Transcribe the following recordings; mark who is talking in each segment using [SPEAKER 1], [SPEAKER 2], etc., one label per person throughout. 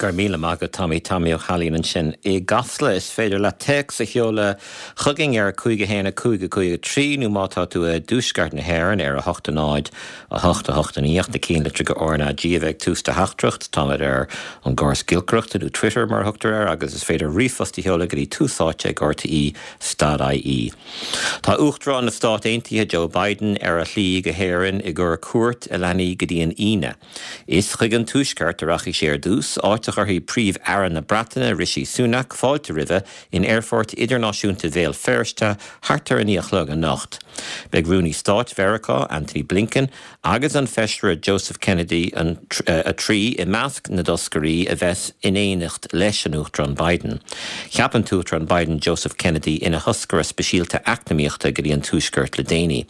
[SPEAKER 1] Go raibh míle maith agat Tommy, Tommy Ó hAilín ansin i gCasla. Is féidir leat téacs a sheoladh chugainn ar 5 1 5 5 3 nó má tá tú i dtuaisceart na hÉireann ar 8 0 8 8 9 ach na cinnlitreacha RnaG a bheith ag tús do theachtaireacht. Táimid ar an gcóras giolcaireachta nó Twitter mar a thugtar air agus is féidir ríomhphost a sheoladh go dtí túsáite ag rte stad ie. Tá Uachtarán na Stát Aontaithe Joe Biden ar a shlí go hÉirinn i gcomhair cuairt a leanfaidh go dtí an Aoine. Is chuig an Tuaisceart a rachaidh sé ar dtús, áit a chuirfidh Príomh-Aire na Breataine, Rishi Sunak, fáilte roimhe in Aerfort Idirnáisiúnta Bhéal Feirste thart ar a 9 a chlog anocht. Beidh Rúnaí Stáit Mheiriceá, Antony Blinken, agus an Feisire Joseph Kennedy 3 i measc na dtoscairí a bheas in éineacht leis an Uachtarán Biden. Cheap an tUachtarán Biden Joseph Kennedy ina thoscaire speisialta eacnamaíochta go dtí an Tuaisceart le déanaí.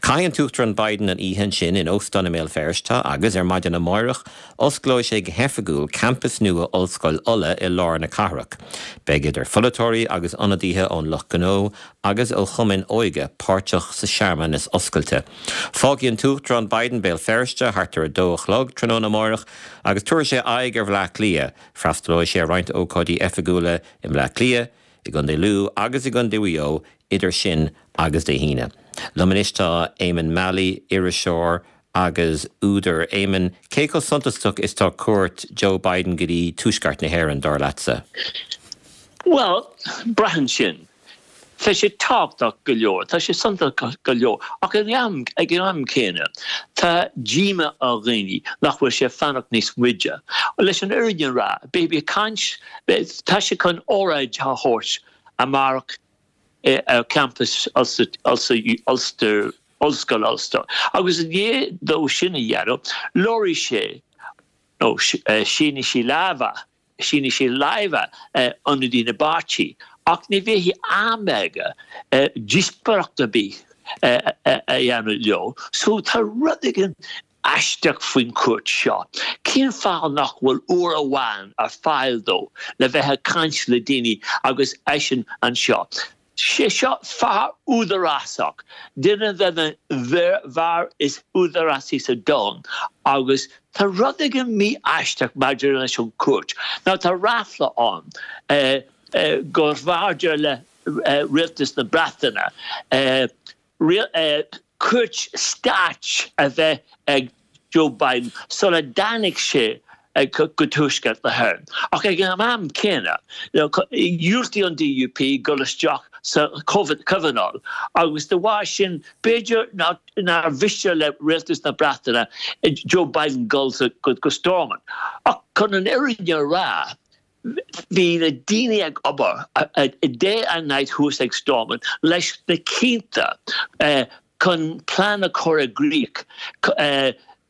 [SPEAKER 1] Caithfidh an tUachtarán Biden an oíche ansin in óstán i mBéal Feirste agus, ar maidin amáireach, osclóidh sé go hoifigiúil campas nua Ollscoil Uladh i lár na cathrach. Beidh idir pholaiteoirí agus ionadaithe ón lucht gnó agus ó chumainn óige páirteach sa searmanas oscailte. Fágfaidh an tUachtarán Biden Béal Feirste thart ar a dó a chlog tráthnóna amáireach agus tabharfaidh sé aghaidh ar Bhleá Cliath. Freastalóidh sé ar roinnt ócáidí oifigiúla i mBleá Cliath, i gContae Lú agus i gContae Mhaigh Eo idir sin agus Dé hAoine. Liom anois tá Éamonn Mallie, iriseoir agus údar. Éamonn, cé chomh suntasach is tá cuairt Joe Biden go dtí Tuaisceart na hÉireann, dar leatsa?
[SPEAKER 2] Bhuel, braitheann sin. Tá sé tábhachtach go leor, tá sé suntasach go leor, ach ag an am céanna, tá díomá ar dhaoine nach bhfuil sé ag fanacht níos moille. Leis an fhírinne a rá, beidh ag caint, tá sé chun óráid a thabhairt amárach ar champas Ulster, Ollscoil Ulster, agus i ndiaidh dó sin a dhéanamh, labharfaidh sé, nó sínfidh sé lámha Sínfidh sé lámha ionadaí na bpáirtí ach ní bheidh am aige díospóireacht ar bith a dhéanamh leo. So tá rud éigin aisteach faoin chuairt seo. Cén fáth nach bhfuil uair amháin ar fáil dó le bheith ag caint le daoine agus eisean anseo? Sé seo fear údarásach, duine de na bhfear is údarásaí sa domhan agus tá rud éigin mí-aisteach maidir leis an chuairt. Now tá ráfla ann gur bhfearrde le rialtas na Breataine cuairt stáit a bheith ag Joe Biden sula dtáinig sé go Tuaisceart na hÉireann. Ach ag an am céanna, dhiúltaigh an DUP dul isteach sa Chomhthionól agus de bharr sin, b'fhéidir nár mhiste le rialtas na Breataine Joe Biden dul go Stormont. Ach chun an fhírinne a rá, Bhí na daoine ag obair day and night thuas ag Stormont leis na cianta chun plean a chur i gcrích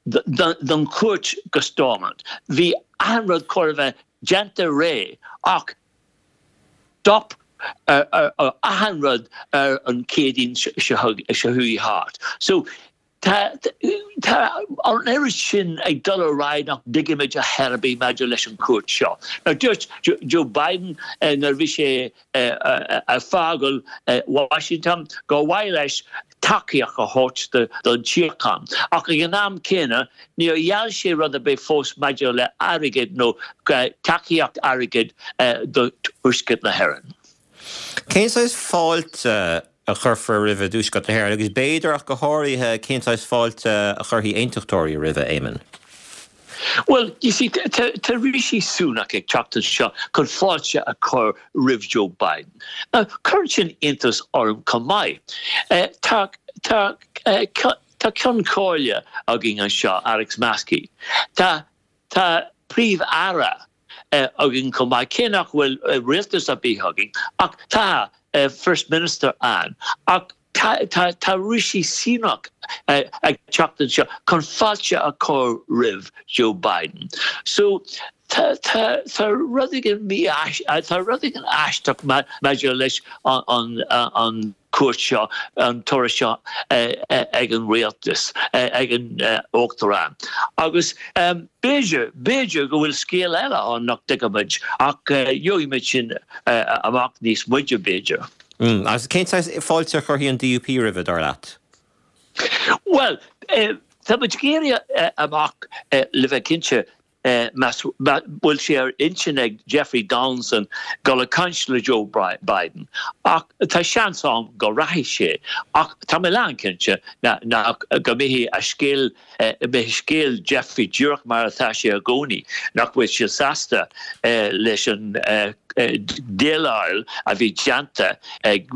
[SPEAKER 2] don chuairt go Stormont. Bhí achan rud chóir a bheith déanta réidh ach stop ar achan rud ar an Chéadaoin seo chuaigh thart. So Tá an oiread sin ag dul ar aghaidh nach dtuigimid a dhath ar bith maidir leis an chuairt seo. Now dúirt Joe Biden nuair a bhí sé ag fágáil Washington gur mhaith leis tacaíocht a thabhairt don tsíocháin ach ag an am céanna níor gheall sé rud ar bith fós maidir le airgead nó tacaíocht airgid do Thuaisceart na hÉireann.
[SPEAKER 1] Cén saghas fáilte a chuirfear roimhe i dTuaisceart na hÉireann agus b'fhéidir ach go háirithe cén saghas fáilte a chuirfidh aontachtóirí roimhe, Éamonn?
[SPEAKER 2] Bhuel, you see, tá Rishi Sunak ag teacht anseo chun fáilte a chur roimh Joe Biden. Now, cuireann sin iontas orm chomh maith. Tá, tá, tá Ceann Comhairle againn anseo, Alex Maskey. Tá, tá Príomh-Aire againn chomh maith, cé nach bhfuil rialtas ar bith againn, ach tá First Minister ann. Ach tá Rishi Sunak ag teacht anseo chun fáilte a chur roimh Joe Biden. So tá rud éigin tá rud éigin aisteach maidir leis an cuairt seo, an turas seo ag an rialtas, ag an Uachtarán. Agus b'fhéidir, b'fhéidir go bhfuil scéal eile ann nach dtuigimid, ach gheobhaimid sin amach níos moille, b'fhéidir.
[SPEAKER 1] Agus cén saghas fáilte a chuirfidh an DUP roimhe, dar leat?
[SPEAKER 2] Bhuel, tá muid ag éirí amach, le bheith cinnte. Más bhfuil sé ar intinn ag Jeffrey Donaldson dul ag caint le Joe Biden ach tá seans ann go rachaidh sé ach tá mé lánchinnte nach go mbeidh a scéal beidh scéal Jeffrey díreach mar atá sé i gcónaí, nach bhfuil sé sásta leis an déileáil a bhí déanta ag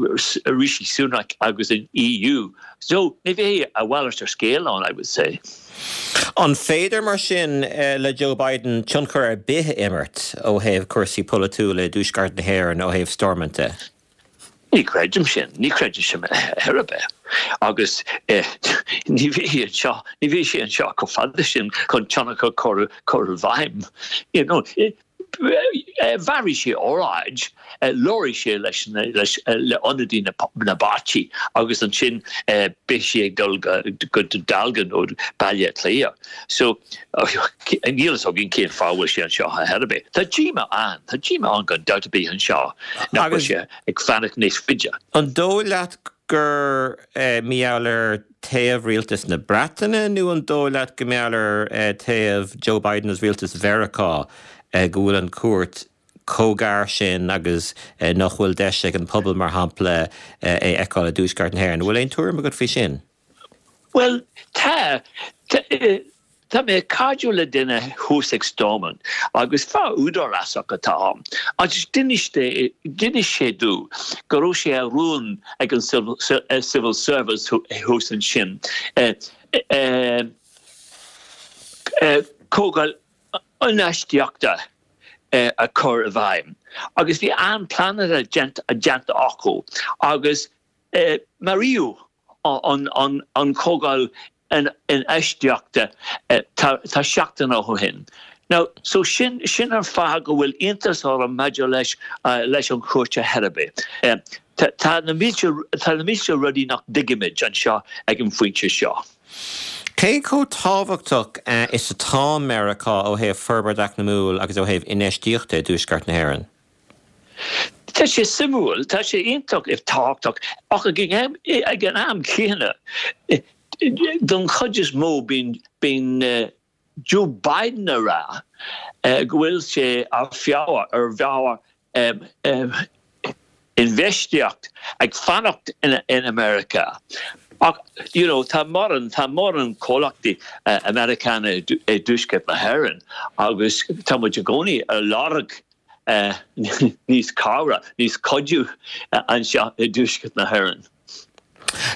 [SPEAKER 2] Rishi Sunak agus an EU. So ní bheidh a mhalairt ar scéal ann, I would say.
[SPEAKER 1] An féidir, mar sin, le Joe Biden tionchar ar bith a imirt ó thaobh cúrsaí polaitiúla i dTuaisceart na hÉireann ó thaobh Stormont de?
[SPEAKER 2] Ní chreidim sin. Ní chreidim sin ar ar bith. Agus ní bheidh anseo, ní bheidh sé anseo chomh fada sin chun tionchar a chur i bhfeidhm. You know, Bhéarfaidh sé óráid, labharfaidh sé leis le ionadaí na bpáirtí agus ansin beidh sé ag dul go Dealgan nó Baile Átha Cliath. So, níl fhios againn cén fáth a bhfuil sé anseo ar chor ar bith. Tá díomá ann, tá díomá ann gan dabht ar bith anseo nach bhfuil sé ag fanacht níos faide.
[SPEAKER 1] An dóigh leat gur mar gheall ar taobh rialtas na Breataine nó an dóigh leat go mar gheall ar taobh Joe Biden agus rialtas Mheiriceá go bhfuil an cuairt chomh gar sin agus nach bhfuil deis ag an pobal, mar shampla, é a fheiceáil i dTuaisceart na hÉireann? An bhfuil aon tuairim agat faoi sin?
[SPEAKER 2] Bhuel, tá. Tá mé cairdiúil le duine thuas ag Stormont agus fear údarásach atá ann agus d'inis sé domh go raibh sé ar rún ag an Civil Service thuas ansin comhdháil infheistíochta a chur i bhfeidhm agus bhí an-pleananna déanta acu agus Maraíodh an chomhdháil infheistíochta tá seachtain ó shin. Now, so sin sin an fáth go bhfuil iontas orm maidir leis leis an chuairt ar chor ar bith. Tá na mílte tá na mílte rudaí nach dtuigimid anseo ag an phointe seo.
[SPEAKER 1] Cé chomh tábhachtach is atá Meiriceá ó thaobh forbairt eacnamúil agus ó thaobh infheistíochta i dTuaisceart na hÉireann?
[SPEAKER 2] Tá sé suimiúil, tá sé iontach tábhachtach, ach ag an am céanna, don chuid is mó bíonn bíonn Joe Biden ag rá go bhfuil sé ar feabhar ar mheabhair infheistíocht ag fanacht in America. Ach you know tá mórán tá mórán comhlachtaí Americana i dTuaisceart na hÉireann agus tá muid i gcónaí ar lorg níos cabhrach, níos cuidiú anseo i dTuaisceart na hÉireann.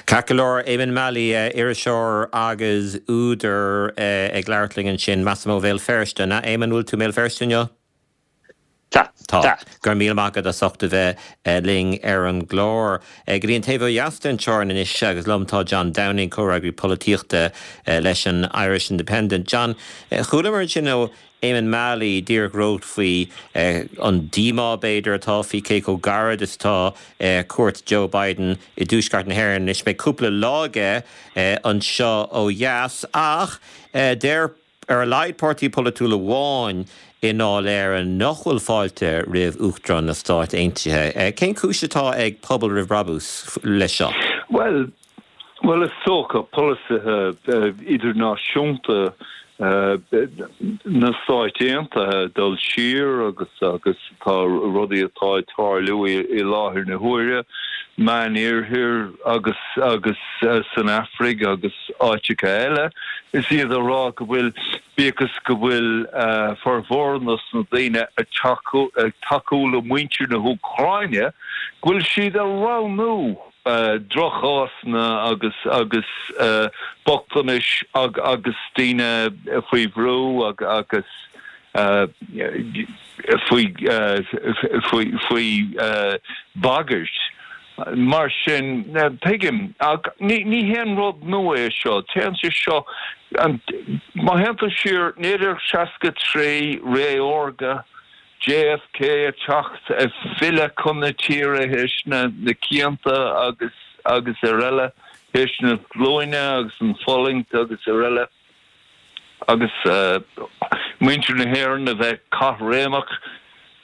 [SPEAKER 1] Ceart go leor, Eamonn Mallie, iriseoir agus údar ag labhairt linn ansin, measaim ó Bhéal Feirste. An ea, Eamonn, bhfuil tú i mBéal Feirste inniu?
[SPEAKER 2] Tá.
[SPEAKER 1] Tá. Go raibh míle maith agat as ucht a bheith linn ar an gclár. Go dtí an taobh ó dheas den teorainn anois agus liom tá John Downing, comhfhreagraí polaitíochta leis an Irish Independent. John, chualamar ansin ó Éamonn Mallie díreach romhat faoi an díomá, b'fhéidir, atá faoi cé chomh gairid is atá cuairt Joe Biden i dTuaisceart na hÉireann. Anois beidh cúpla lá aige anseo ó dheas ach deir ar a laghad páirtí polaitiúil amháin i nDáil Éireann nach bhfuil fáilte roimh Uachtarán na Stáit Aontaithe. Cén chúis atá ag Pobal Roimh Brabús leis seo?
[SPEAKER 3] Bhuel, bhuel is dócha polasaithe idirnáisiúnta na Stáit Aontaithe dul siar agus agus tá rudaí atá ag tarlú i láthair na huaire, Meán-Oirthear agus agus san Afraic agus áiteacha eile. Is iad a rá go bhfuil, bíodh is go bhfuil formhór dos na daoine ag tacú ag tacú le muintir na hÚcráine, go bhfuil siad ag roghnú droch-chásanna agus agus bochtanais agus daoine faoi bhrú agus faoi faoi bhagairt. Mar sin, tuigim, ach ní haon rud nua é seo. Téann sé seo, má théann tú siar, 1963, ré órga, JFK ag teacht, ag filleadh chun na tíre théis na cianta agus agus araile, théis na glúine agus an fulaingt agus araile, agus muintir na hÉireann a bheith caithréimeach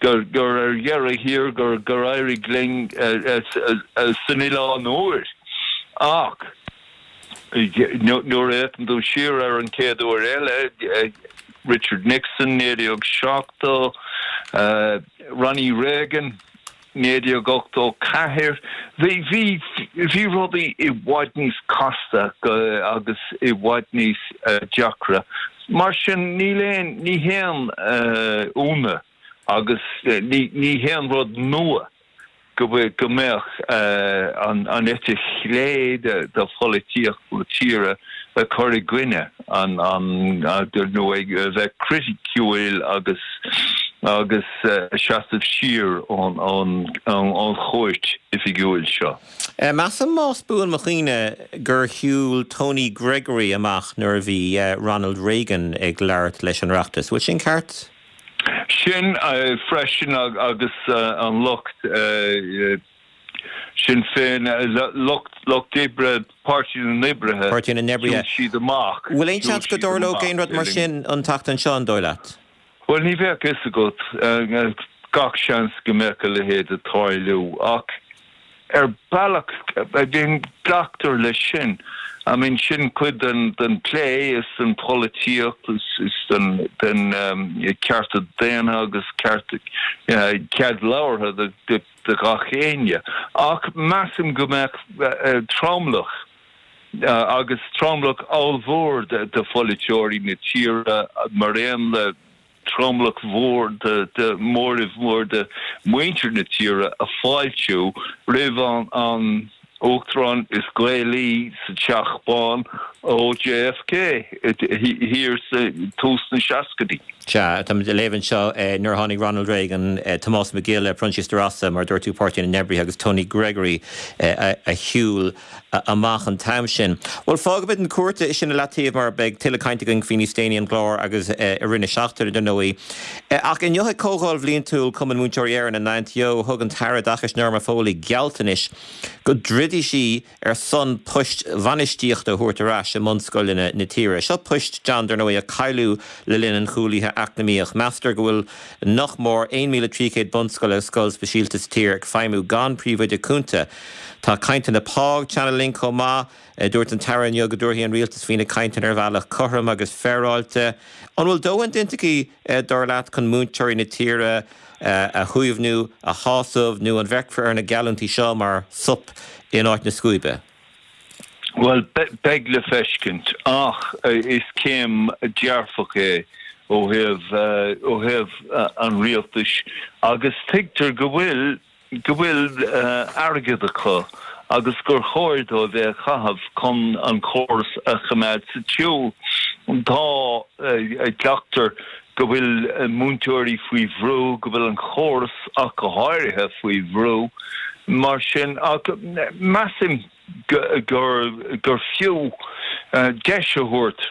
[SPEAKER 3] gur gur ar dheireadh thiar gur gur éirigh linn san Oileán Úr. Ach. Nuair a fhéachann tú siar ar an chéad uair eile, Richard Nixon, 1970, Ronnie Reagan, 1984, bhí, bhí, bhí rudaí i bhfad níos casta agus i bhfad níos deacra. Mar sin, níl aon, ní haon ionadh agus ní, ní haon rud nua go mbeadh an eite chlé de pholaitíocht na tíre ag cur i gcoinne an nó ag bheith criticiúil agus agus seasamh siar ón chúirt oifigiúil seo.
[SPEAKER 1] Measaim, más buan mo chuimhne, gur shiúil Tony Gregory amach nuair a bhí Ronald Reagan ag labhairt leis an Oireachtas. Bhfuil sin ceart?
[SPEAKER 3] Sin freisin agus an lucht Sinn Féin, lucht lucht oibre, Páirtí na
[SPEAKER 1] nOibrithe, Páirtí na
[SPEAKER 3] nOibrithe. shiúil siad amach.
[SPEAKER 1] Bhfuil aon seans go dtarlódh aon rud mar sin an tseachtain seo, an dóigh leat?
[SPEAKER 3] Bhuel, ní bheadh a fhios agat. Gach seans go mbeadh a leithéid ag tarlú ach ar bealach, I mean, glactar leis sin. I mean, sin cuid den den plé is den pholaitíocht is is den den cearta daonna agus cearta cead labhartha do do do gach éinne. Ach measaim go mbeadh tromlach agus tromlach ollmhór de de pholaiteoirí na tíre mar aon le tromlach mhór de móramh mór de mhuintir na tíre ag fáiltiú roimh an Uachtarán is Gaelaí sa Teach Bán ó JFK thiar sa tús na seascaidí.
[SPEAKER 1] Sea, táimid ag léamh anseo nuair a tháinig Ronald Reagan, Tomás Mac Giolla, Proinsias De Rossa, mar a dúirt tú, Páirtí na nOibrithe agus Tony Gregory a shiúil amach an t-am sin. Bhuel, fágfaimid an chúirt sin i leataobh mar beidh tuilleadh cainte againn faoi níos déanaí an gclár agus i rith na seachtaine, dar ndóigh. Ach inniu ag Comhdháil Bhliantúil Chumann Múinteoirí Éireann in Auntió, thug an tAire Oideachais Norma Foley gealltanais go dtroidfidh sí ar son poist bhainistíochta a thabhairt ar ais i mbunscoileanna na tíre. Seo poist, John, dar ndóigh, a cailleadh le linn an chúlaithe eacnamaíoch. Meastar go bhfuil nach mór 1,300 bunscoil agus scoil speisialta sa tír ag feidhmiú gan príomhoide cúnta. Tá cainteanna pá ag teannadh linn chomh maith. Dúirt an tAire inniu go dtabharfaidh an Rialtas faoi na cainteanna ar bhealach cothrom agus féaráilte. An bhfuil dóthain déanta aici, dar leat, chun múinteoirí na tíre a shuaimhniú, a shásamh, nó an bhfeicfear ar na geallúintí seo mar sop in áit na scuaibe?
[SPEAKER 3] Bhuel, beidh le feiscint, ach is céim dearfach é ó thaobh ó thaobh an rialtais agus tuigtear go bhfuil go bhfuil airgead acu agus gur chóir dóibh é a chaitheamh chun an córas a choimeád sa tsiúl. Tá, glactar go bhfuil múinteoirí faoi bhrú, go bhfuil an córas ach go háirithe faoi bhrú mar sin ach measaim gur gur fiú deis a thabhairt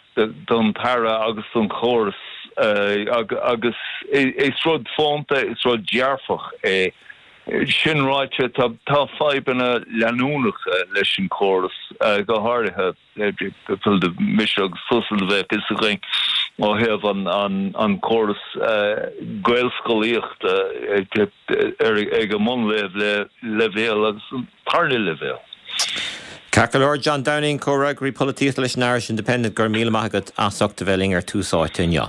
[SPEAKER 3] don tAire agus don chóras agus is rud fónta, is rud dearfach é. Sin ráite, tá fadhbanna leanúnacha leis an chóras, go háirithe mise agus tusa a bheadh fhios againn ó thaobh an córas Gaelscolaíochta ag an mbunleibhéal agus an tarna leibhéal.
[SPEAKER 1] Ceart go leor, John Downing, Comhfhreagraí Polaitíochta leis an Irish Independent, go raibh míle maith agat as ucht a bheith linn ar Tús Áite inniu.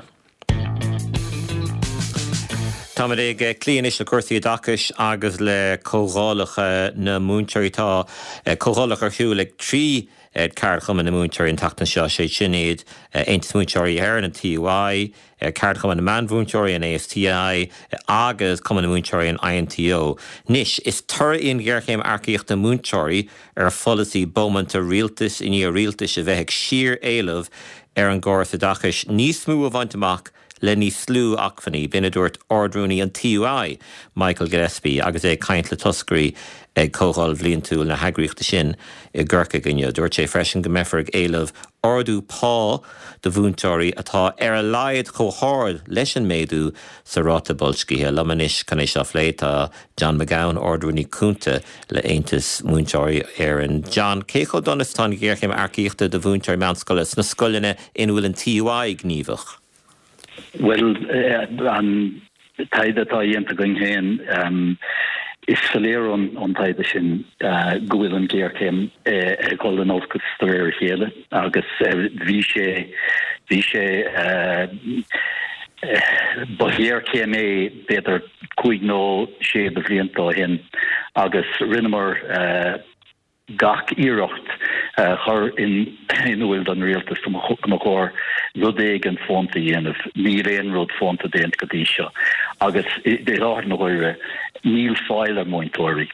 [SPEAKER 1] Táimid ag cloí anois le cúrsaí oideachais agus le comhdhálacha na múinteoirí. Tá comhdhálacha ar siúl ag 3 ceardchumann na múinteoirí an tseachtain seo, sé sin iad Aontas Múinteoirí Éireann, an TUI, Ceardchumann na Meánmhúinteoirí, an ASTI, agus Cumann na Múinteoirí, an INTO. Anois, is toradh í an ghéarchéim earcaíochta múinteoirí ar pholasaí bómánta rialtais i ndiaidh rialtais a bheith ag síor-éileamh ar an gcóras oideachais níos mó a bhaint amach le níos lú acmhainní. B'in a dúirt Ard-Rúnaí an TUI, Michael Gillespie, agus é ag caint le toscairí ag comhdháil bhliantúil na heagraíochta sin i gCorcaigh inniu. Dúirt sé freisin go mbeifear ag éileamh ardú pá do mhúinteoirí atá ar a laghad chomh hard leis an méadú sa ráta boilscithe. Liom anois chun é seo a phlé tá John McGowan, Ard-Rúnaí Cúnta le Aontas Múinteoirí Éireann. John, cé chomh dona is atá an ghéarchéim earcaíochta do mhúinteoirí meánscoile sna scoileanna ina bhfuil an TUI gníomhach?
[SPEAKER 4] Bhuel, an taighde atá dhéanta againn féin. Is soiléir ón taighde sin go bhfuil an ghéarchéim ag dul in olcas de réir a chéile agus bhí sé, bhí sé, ba ghéarchéim é b'fhéidir cúig nó sé de bhlianta ó shin agus rinneamar, gach iarracht a chur in iúil don rialtas go mba chóir rud éigin fónta a dhéanamh. Níl aon rud fónta déanta go dtí seo agus i láthair na huaire níl fáil ar mhúinteoirí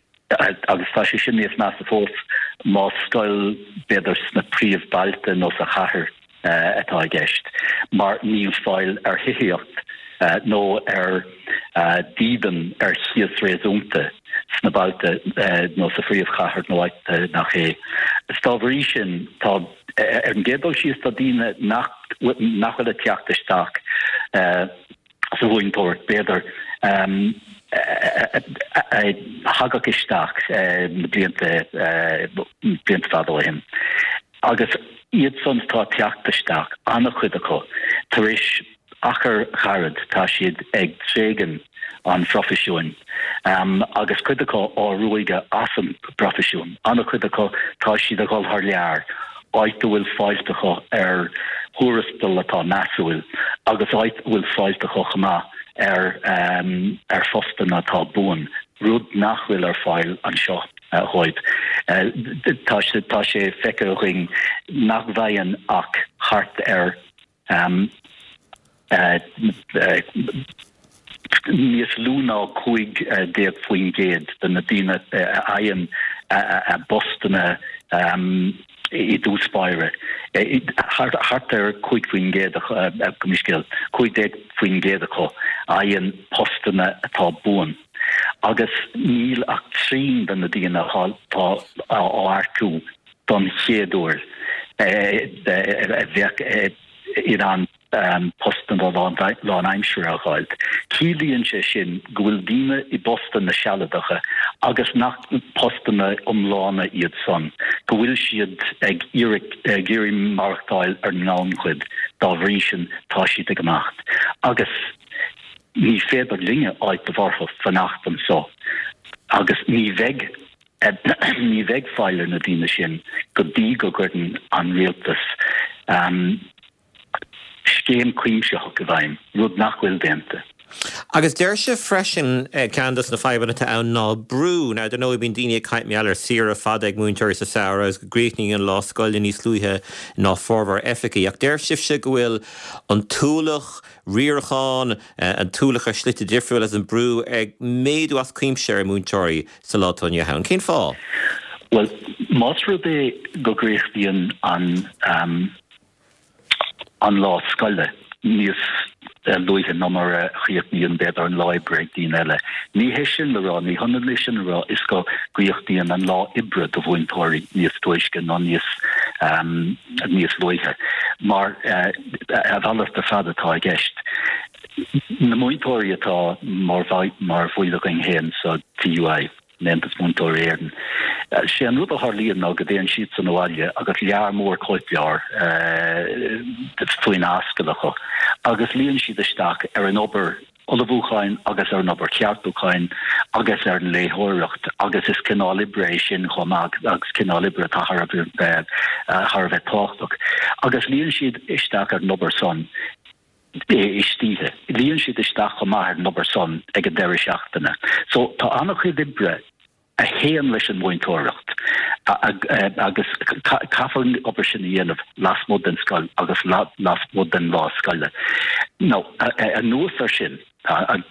[SPEAKER 4] agus tá sé sin níos measa fós más scoil b'fhéidir sna príomhbailte nó sa chathair atá i gceist, mar níl fáil ar thithíocht nó ar dhídean ar chíos réasúnta sna bailte nó sa phríomhchathair nó áit nach é. Is dá bhrí sin, tá, ar an gcéad dul síos, tá daoine nach nach bhfuil ag teacht isteach sa mhúinteoireacht, b'fhéidir, a thagadh isteach na blianta blianta fada ó shin. Agus iad san atá ag teacht isteach, an-chuid acu, tar éis achar ghairid tá siad ag tréigean an phroifisiúin agus cuid acu á ruaigeadh as an bproifisiún. An-chuid acu tá siad a dhul thar lear, áit a bhfuil fáilt acu ar thuarastal atá measúil agus áit a bhfuil fáilt acu chomh maith ar ar phostanna atá buan, rud nach bhfuil ar fáil anseo. dhóibh. Tá sé tá sé feicthe againn nach bhfaigheann ach thart ar níos lú ná 15% de na daoine a fhaigheann a bpostanna i dtús báire. Thart ar 5% gabh mo leithscéal, 15% acu a fhaigheann postanna atá buan. Agus níl ach trian de na daoine atá á earcú don chéad uair a bheadh in ann postanna lánaimseartha a fháil. Ciallaíonn sé sin go bhfuil daoine i bpostanna sealadacha agus nach postanna iomlána iad san, go bhfuil siad ag iarraidh maireachtáil ar an ngannchuid, dá bhrí sin tá siad ag imeacht. Agus. Ní féidir linne áiteamh orthu fanacht anso agus ní bheidh ní bheidh fáil ar na daoine sin go dtí go gcuireann an rialtas scéim cuimsitheach i bhfeidhm, rud nach bhfuil déanta.
[SPEAKER 1] Agus deir sibh freisin, ceann dos na fadhbanna atá ann ná brú. Now, dar ndóigh, bíonn daoine ag caint mar gheall ar saoire fada ag múinteoirí sa samhradh agus go gcríochnaíonn an lá scoile níos luaithe ná formhór oifigí. Ach deir sibhse go bhfuil an t-ualach riaracháin, an t-ualach ar shlite difriúla agus an brú ag méadú as cuimse ar mhúinteoirí sa lá atá inniu ann. Cén fáth?
[SPEAKER 4] Bhuel, más rud é go gcríochnaíonn an an lá scoile níos luaithe ná mar a chríochnaíonn, b'fhéidir, an lá oibre ag daoine eile, ní hé sin le rá, ní hionann é sin a rá is go gcríochnaíonn an lá oibre do mhúinteoirí níos túisce nó níos níos luaithe, mar a mhalairt ar fad atá i gceist. Na múinteoirí atá mar mar bhaill againn féin sa TUI, in Aontas Múinteoirí Éireann, sé an rud a tharlaíonn ná go dtéann siadsan abhaile agus lear mór cóipleabhar faoin ascaill acu agus luíonn siad isteach ar an obair ullmhúcháin agus ar an obair cheartúcháin agus ar an léitheoireacht agus is cineál oibre é sin chomh maith agus cineál oibre atá thar a bheith thar a bheith tábhachtach. Agus luíonn siad isteach ar an obair san istoíche. Luíonn siad isteach chomh maith ar an obair san ag an deireadh seachtaine. So tá an-chuid oibre a théann leis an mhúinteoireacht agus caithfear an obair sin a dhéanamh lasmuigh den scoil agus lasmuigh den lá scoile. Now, anuas air sin, tá an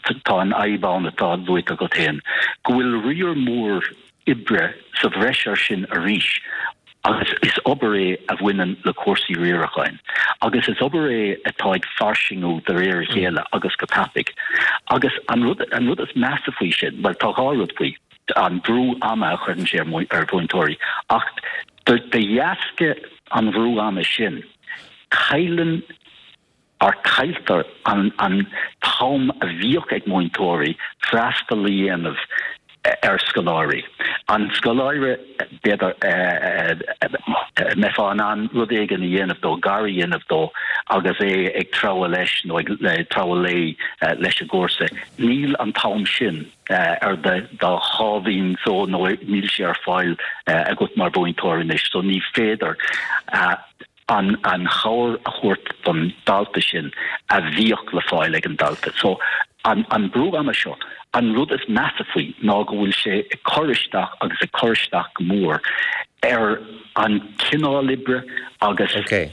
[SPEAKER 4] fhadhb ann atá luaite agat féin, go bhfuil riar mór oibre sa bhreis air sin arís agus is obair é a bhaineann le cúrsaí riaracháin agus is obair é atá ag fairsingiú de réir a chéile agus go tapaidh. Agus an rud, an rud is measa faoi sin, bhuel tá dhá rud faoi, an brú ama a chuireann sé ar mhúinteoirí ach de dheasca an bhrú ama sin, cailleann, or cailltear an an t-am a bhíodh ag múinteoirí freastal a dhéanamh ar scoláirí. An scoláire, b'fhéidir, a mbeifeá in ann rud éigin a dhéanamh dó, gar a dhéanamh dó agus é ag treabhadh leis nó ag treabhadh léi leis an gcúrsa, níl an t-am sin ar do sháimhín só nó níl sé ar fáil agat mar mhúinteoir anois so ní féidir an an chabhair a thabhairt don dalta sin a bhíodh le fáil ag an dalta. So an an brú ama seo, an rud is measa faoi ná go bhfuil sé ag cur isteach agus ag cur isteach go mór ar an cineál oibre agus
[SPEAKER 1] okay.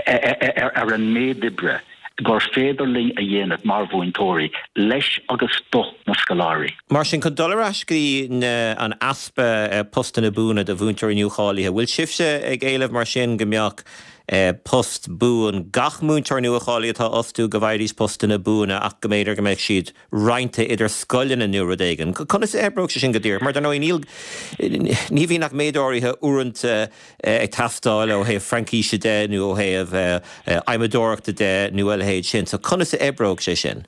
[SPEAKER 4] ar an méid oibre gur féidir linn a dhéanamh mar mhúinteoirí leis agus do na scoláirí.
[SPEAKER 1] Mar sin, chun dul ar ais go dtí an easpa postanna buana do mhúinteoirí nuacháilithe, bhfuil sibhse ag éileamh mar sin go mbeadh post buan gach múinteoir nuacháilithe atá á fhostú, go bhfaighidís postanna buana ach go mb'fhéidir go mbeadh siad roinnte idir scoileanna nó rud éigin. Conas a oibreodh sé sin go díreach? Mar dar ndóigh níl, ní bhíonn ach méid áirithe uaireanta ag teastáil ó thaobh Fraincíse de nó ó thaobh adhmadóireachta de nó a leithéid sin. So conas a oibreodh sé sin?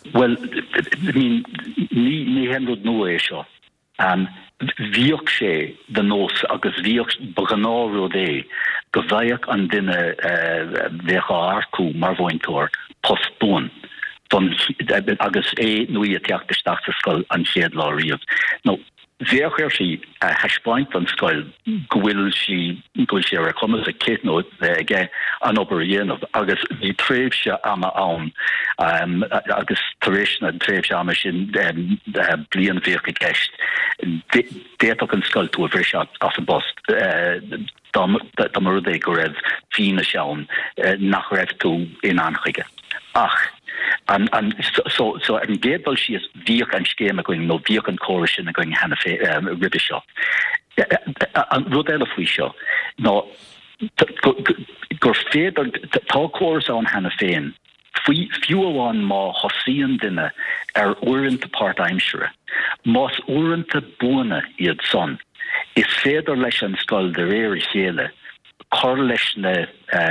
[SPEAKER 4] Bhuel, I mean, ní, ní haon rud nua é seo. Bhíodh sé de nós agus bhíodh, ba ghnáthrud é go bhfaigheadh an duine a bheadh á earcú mar mhúinteoir post buan don, agus é nó í ag teacht isteach sa scoil an chéad lá riamh. Nó bheadh uirthi a thaispeáint don scoil go bhfuil sí, go bhfuil sé ar a cumas aici nó aige an obair a dhéanamh agus bhí tréimhse ama ann agus tar éis na tréimhse ama sin, bliain a bhíodh i gceist, d'fhéadfadh an scoil tú a bhriseadh as an bpost dá mba rud é go raibh fianaise ann nach raibh tú in ann chuige. Ach an, an, so, so ar an gcéad dul síos, bhíodh an scéim againn nó bhíodh an córas sin againn cheana féin roimhe seo. An rud eile faoi seo ná gur féidir, tá córas ann cheana féin, faoi, fiú amháin má thosaíonn duine ar uaireanta páirtaimsire, más uaireanta buana iad san, is féidir leis an scoil de réir a chéile cur leis na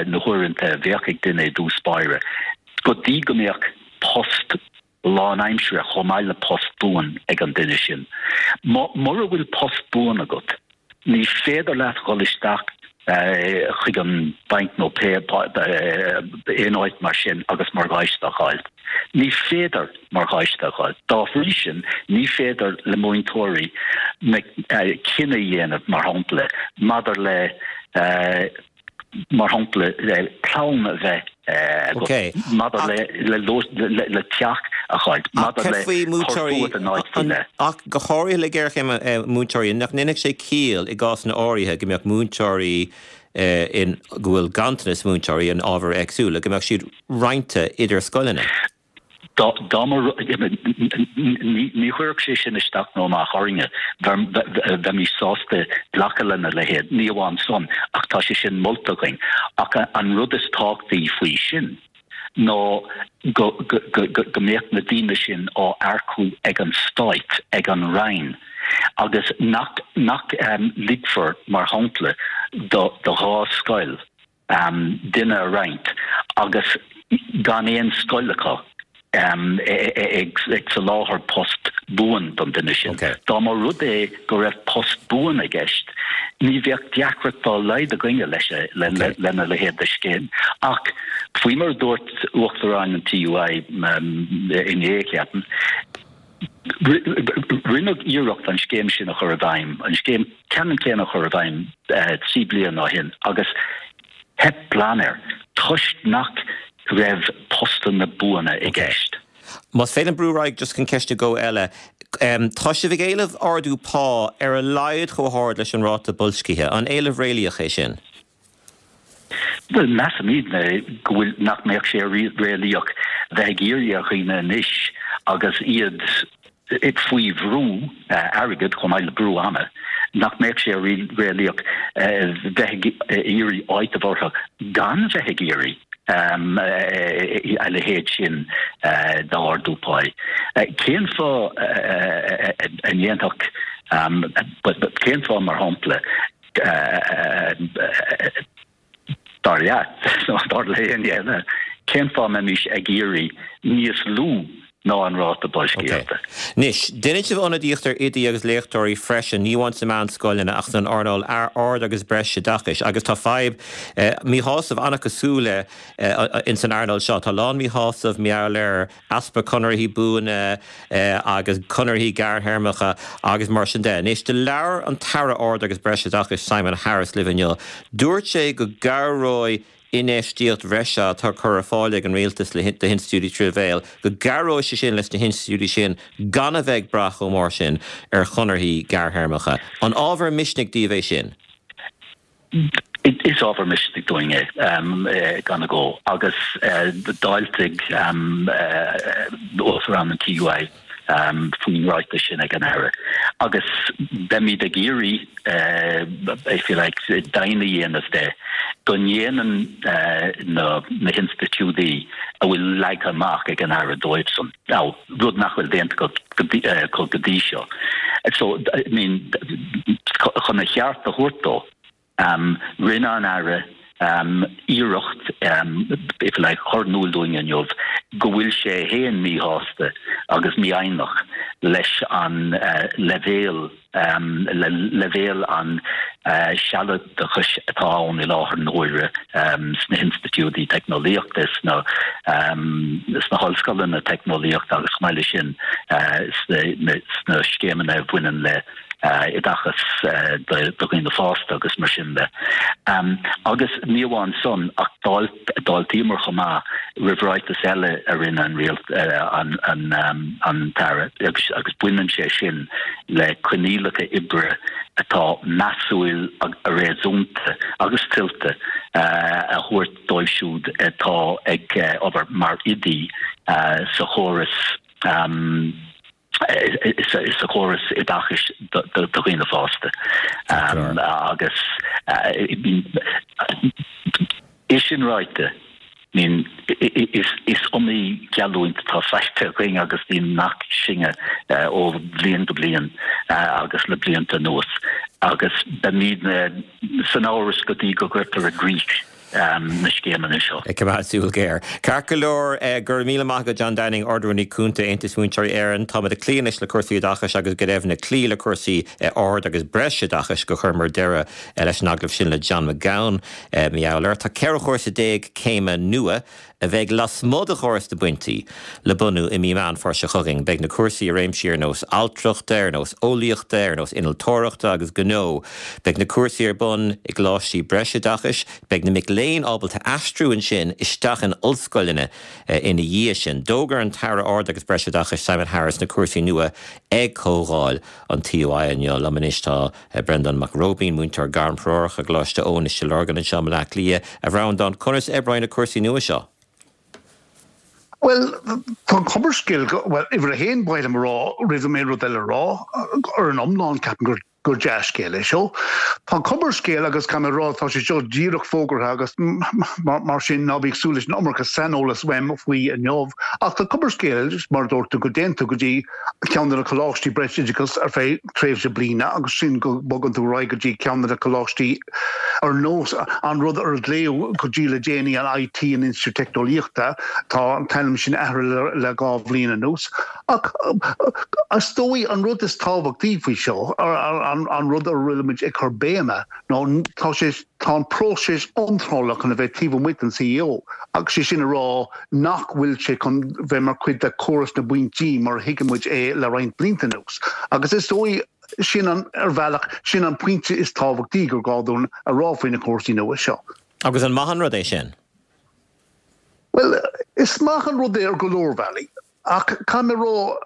[SPEAKER 4] na huaireanta a bheadh ag duine i dtús báire go dtí go mbeadh post lánaimsire chomh maith le post buan ag an duine sin. Mura bhfuil post buan agat, ní féidir leat dhul isteach chuig an banc nó pé aon áit mar sin agus morgáiste a fháil. Ní féidir morgáiste a fháil. Dá bhrí sin, ní féidir le múinteoirí cinneadh a dhéanamh, mar shampla, maidir le. mar shampla, clann a bheith agat, maidir le teach a fháil, maidir le cur fúat in áit faoi leith.
[SPEAKER 1] Ach go háirithe le géarchéim múinteoirí, nach ndéanfadh sé ciall i gcásanna áirithe go mbeadh múinteoirí in, go bhfuil ganntanas múinteoirí in ábhair éagsúla, go mbeadh siad roinnte idir scoileanna?
[SPEAKER 4] Dá mba rud, ní chuirfeadh sé sin isteach nó amach orainne, bheimis sásta glacadh lena leithéid, ní amháin san ach tá sé sin molta againn. Ach an rud is tábhachtaí faoi sin ná go mbeadh na daoine sin á earcú ag an Stát, ag an Roinn, agus nach ligfear, mar shampla, do dhá scoil, duine a roinnt agus gan aon scoil acu ag soláthar post buan don duine sin. Dá mba rud é go raibh post buan i gceist, ní bheadh deacracht dá laghad againne leis lena leithéid de scéim. Ach faoi mar a dúirt Uachtarán an TUI inné, ceapaim, Rinneadh iarracht an scéim sin a chur i bhfeidhm, an scéim ceannann céanna a chur i bhfeidhm 3 bliana ó shin agus theip glan air toisc nach raibh postanna buana i gceist.
[SPEAKER 1] Más féidir liom brú ar aghaidh just chun ceist nó dhó eile. Tá sibh ag éileamh ardú pá ar a laghad chomh hard leis an ráta boilscithe. An éileamh réalaíoch é sin?
[SPEAKER 4] Bhuel, measaimidne go bhfuil, nach mbeadh sé réalaíoch bheith ag iarraidh ar dhaoine anois agus iad faoi bhrú airgid chomh maith le brú ama, nach mbeadh sé réalaíoch bheith ag iarraidh áiteamh orthu gan bheith ag iarraidh a leithéid sin d'ardú páí. Cén fáth a ndéanfadh, cén fáth, mar shampla, Dar leat, nó dar le héinne eile, cén fáth a mbeimis ag iarraidh níos lú ná an ráta boilscíochta.
[SPEAKER 1] Anois, déanann sibh ionadaíocht ar oidí agus léachtóirí freisin, ní amháin sna meánscoileanna ach san earnáil ard agus breisoideachais agus tá fadhb míshásamh an-chosúil ins an earnáil seo. Tá a lán míshásamh mar gheall ar easpa conarthaí buana agus conarthaí gearrthéarmacha agus mar sin de. Anois, do labhair an tAire Ard agus Breisoideachais Simon Harris libh inniu. Dúirt sé go gcabhróidh infheistíocht bhreise atá curtha ar fáil ag an Rialtas le do hinstitiúidí tríú leibhéal, go gcabhróidh sé sin leis na hinstitiúidí sin gan a bheith ag brath chomh mór sin ar chonarthaí gearrthéarmacha. An ábhar misnigh daoibh é sin?
[SPEAKER 4] Is ábhar misnigh dúinn é, gan agó, agus d'fháiltigh Uachtarán an TUI faoin ráiteas sin ag an Aire. Agus beimid ag iarraidh, if you like, deimhin a dhéanamh de go ndéanann na hinstitiúidí a bhfuil leagtha amach ag an Aire dóibhsan, now, rud nach bhfuil déanta acu go dtí seo. So, I mean, chun a cheart a thabhairt dó, rinne an Aire iarracht, if you like, chur in iúl dúinn inniu go bhfuil sé féin míshásta agus mífhoighneach leis an leibhéal le leibhéal an sealadachais atá ann i láthair na huaire sna hinstitiúidí teicneolaíochta, sna hollscoileanna teicneolaíochta agus chomh maith leis sin sna scéimeanna a bhaineann le oideachas do dhaoine fásta agus mar sin de. Agus ní amháin san ach d'fháiltíomar chomh maith roimh ráiteas eile a rinne an an an tAire agus baineann sé sin le coinníollacha oibre atá measúil, réasúnta agus tuillte a thabhairt dóibh siúd atá ag obair mar oidí sa chóras sa chóras oideachais do dhaoine fásta agus é sin ráite, is iomaí geallúint atá faighte againn agus bíonn nach sinne ó bhliain go bliain agus le blianta anuas agus beimidne san amhras go dtí go gcuirtear i gcrích na scéimeanna seo.
[SPEAKER 1] Ag coimeád súil ghéar. Ceart go leor, go raibh míle maith agat John Downing, Ard-Rúnaí Cúnta, Aontas Múinteoirí Éireann. Táimid ag cloí anois le cúrsaí oideachais agus go deimhin ag cloí le cúrsaí ard agus breisoideachais gur chuireamar deireadh leis an agallamh sin le John McGowan. Mar gheall air, tá 14 chúrsa céime nua a bheidh lasmuigh de chóras na bpointí le bunú i mí Meán Fómhair seo chugainn. Beidh na cúrsaí i réimsí ar nós altrachta, ar nós eolaíochta, ar nós innealtóireachta agus gnó. Beidh na cúrsaí ar bun i gcoláistí breisoideachais. Beidh na mic léinn ábalta aistriú ansin isteach in ollscoileanna ina dhiaidh sin. D'fhógair an tAire Ard agus Breisoideachais Simon Harris na cúrsaí nua ag comhdháil an TUI inniu. Liom anois tá. Breandán Mac Róibín, múinteoir gairmthreorach i gColáiste Eoin i Stigh Lorgan anseo i mBaile Átha Cliath. A Bhreandáin, conas a oibreoidh na cúrsaí nua seo?
[SPEAKER 5] Bhuel, tá an chuma ar an scéal go, bhuel, uimhir a haon, ba mhaith liom a rá, roimh dom aon rud eile a rá, ar an iomlán, ceapaim gur gur dea-scéal é seo. Tá an chuma ar an scéal agus caithfidh mé a rá, tá sé seo díreach fógartha agus mar sin ná bí ag súil leis an iomarca saineolas uaim faoi inniu. Ach tá an chuma ar an scéal, mar a dúirt tú, go dtéann tú go dtí ceann de na coláistí breisoideachais ar feadh tréimhse bliana agus ansin go mbogann tú ar aghaidh go dtí ceann de na coláistí ar nós an rud ar a glaodh go dtí le déanaí an IT, an Institiúid Teicneolaíochta, tá an t-ainm sin athraithe le le 2 bhliain anuas. Ach is dóigh an rud is tábhachtaí faoi seo, an rud ar a bhfuilimid ag cur béime, ná tá sé, tá an próiseas iontrála chun a bheith taobh amuigh den CAO agus sé sin a rá nach bhfuil sé chun bheith mar chuid de chóras na bpointí mar a thuigeann muid é le roinnt blianta anuas. Agus is dóigh, sin an, ar bhealach, sin an pointe is tábhachtaí gur gá dúinn a rá faoi na cúrsaí nua seo.
[SPEAKER 1] Agus an maith an rud é sin?
[SPEAKER 5] Bhuel, is maith an rud é ar go leor bealaí. Ach caithfidh mé a rá,